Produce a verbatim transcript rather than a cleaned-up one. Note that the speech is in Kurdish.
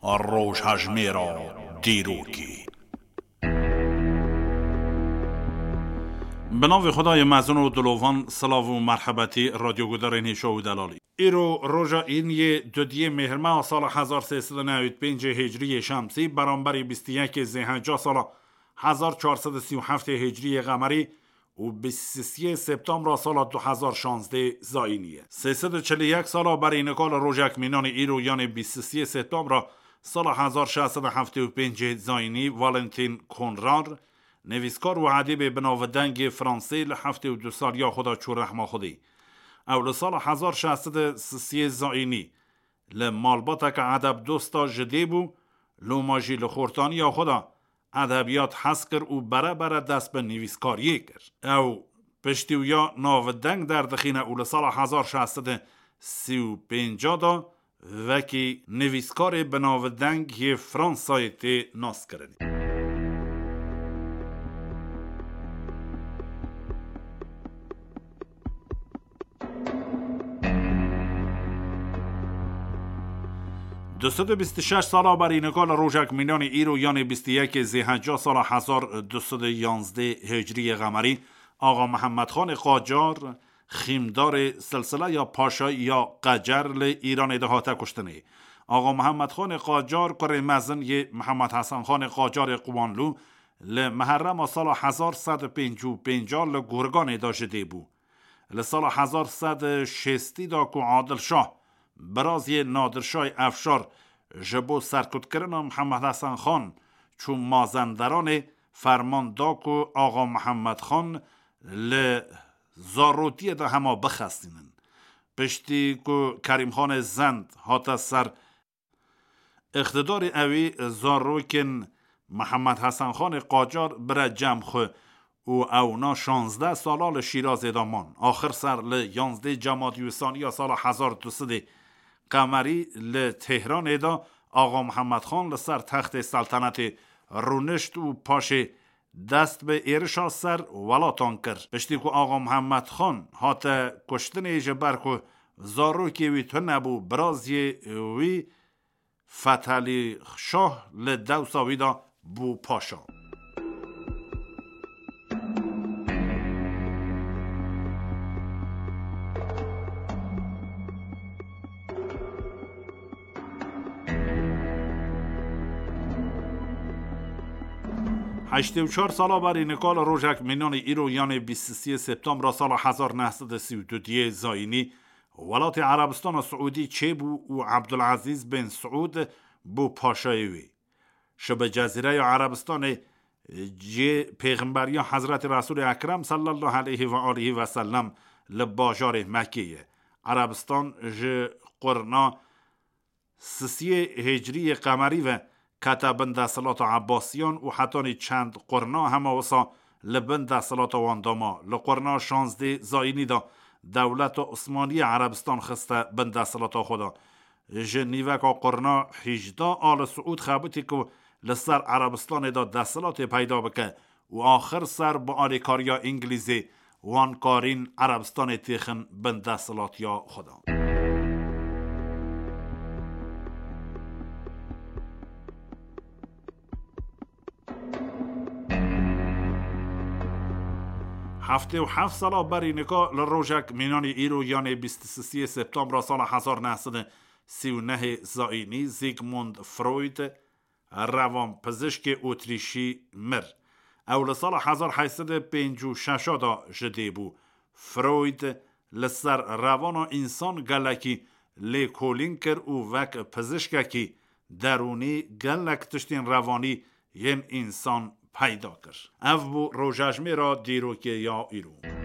Rojhejmêra dîrokê. Bi navê Xwedayê mezin û dilovan, silav û merhebetî radyogudarên hêşa û delalî. Îro roja îniyê dudiyê mêhrmeha sala hezar sê sed û newî pêncê hicriyê şemsî, beramberî bîst û yekê zêhenca sala hezar çar sed û sî û heftê hicriyê qemerî û bîst û sê septembra sala du hezar şazdê zayînî ye. Sê sed û çil û yek sala berî nika li rojek mînanî îro, yanê bîst û sê septembra sala hezar şeş sed û heftê û pêncê zayînî, Valentin Konrar, nivîskar û edîbê binavdengê Fransê, li heftê û du saliya xwe de çû rehma Xwedê. Ew li sala hezar şeş sed û sisê zayînî li malbateke edebdosta ji dê bû, loma jî li xortaniya xwe de edebiyat hez kir û bere bere dest bi nivîskariyê kir. Ew piştî wî ya navdeng derdixîne û li sala hezar şeş sed û sî û pênc de wekî nivîskarê binavdeng yê Fransayê tê naskirinê. Du sed û bîst û şeş sala berî nika li rojek mînanî îro, yanê bîst û yekê zêhenca sala hezar du sed û yanzdê hicriyê qemerî, Axa Mihemed Xanê Qacar, xîmdarê silsileya paşayî ya Qecer, li Îranê de hate kuştinê. Axa Mihemed Xanê Qacar, kurê mezin yê Mihemed Hesen Xanê Qacarê Qiwanlû, li Meherrema sala hezar sed û pêncî û pênc li Gurganê de ji dê bû. Li sala hezar sed û şêstî de ku Adil Şah, biraziyê Nadir Şahê Efşar, ji bo serkutkirina Mihemed Hesen Xan çû Mazenderanê, ferman da ku Axa Mihemed Xan li zarotiyê de hema bixestînin. Piştî ku Kerîmxanê Zend hate ser îqtidarê, ewî zarokên Mihemed Hesen Xanê Qacar bire cem xwe û ewna şazdeh sala li Şîrazê de man. Axir ser li yanzdê Cemadî Wisaniya sala hezar du sedê qemerî li Tehranê de Axa Mihemed Xan li ser textê seltenetê rûnişt û paşê dest bi êrişa ser welatan kir. Piştî ku Axa Mihemed Xan hate kuştinê, ji ber ku zarokê wî tune bû, biraziyê wî Fethelî Şah li dewsa wî de bû paşa. Heştê û çar sala berî nika li rojek mînanî îro, yanê bîst û sê septembra sala hezar neh sed û sî û du diyê zayînî, welatê Erebistana Siûdî çêbû û Ebdulezîz bin Siûd bû paşayê wê. Şibe Cezîreya Erebistanê cê pêxemberiya Hezretî Resûlê Ekrem sallallahu aleyhi ve aleyhi ve sellem li bajarê Mekkê ye. Erebistan ji qurna sisiyê hicriyê qemerî ve kete bin desthilata Ebbasiyan û hetanî çend qurna hema wisa li bin desthilata wan de ma. Li qurna şazdê zayînî de dewleta Osmaniyê Erebistan xiste bin desthilata xwe de. Ji nîveka qurna hîjda Al Siûd xebitî ku li ser Erebistanê de desthilatê peyda bike û axir ser bi alîkariya Îngilîzê wan karîn Erebistanê têxin bin desthilatiya xwe de. Heftê û heft sala berî nika li rojek mînanî îro, yanê bîst û sisiyê septembra sala hezar neh sed û sî û nehê zayînî, Sigmund Freud, rewanpizişkê Otrîşî, mir. Ew li sala hezar heyt sed û pêncî û şeş de ji dê bû. Freud li ser revana însan gelekî lêkolîn kir û wek pizişkekî derûnî gelek tiştên revanî yên însan peyda kir. Ev bû rojejmêra dîrokê ya îro.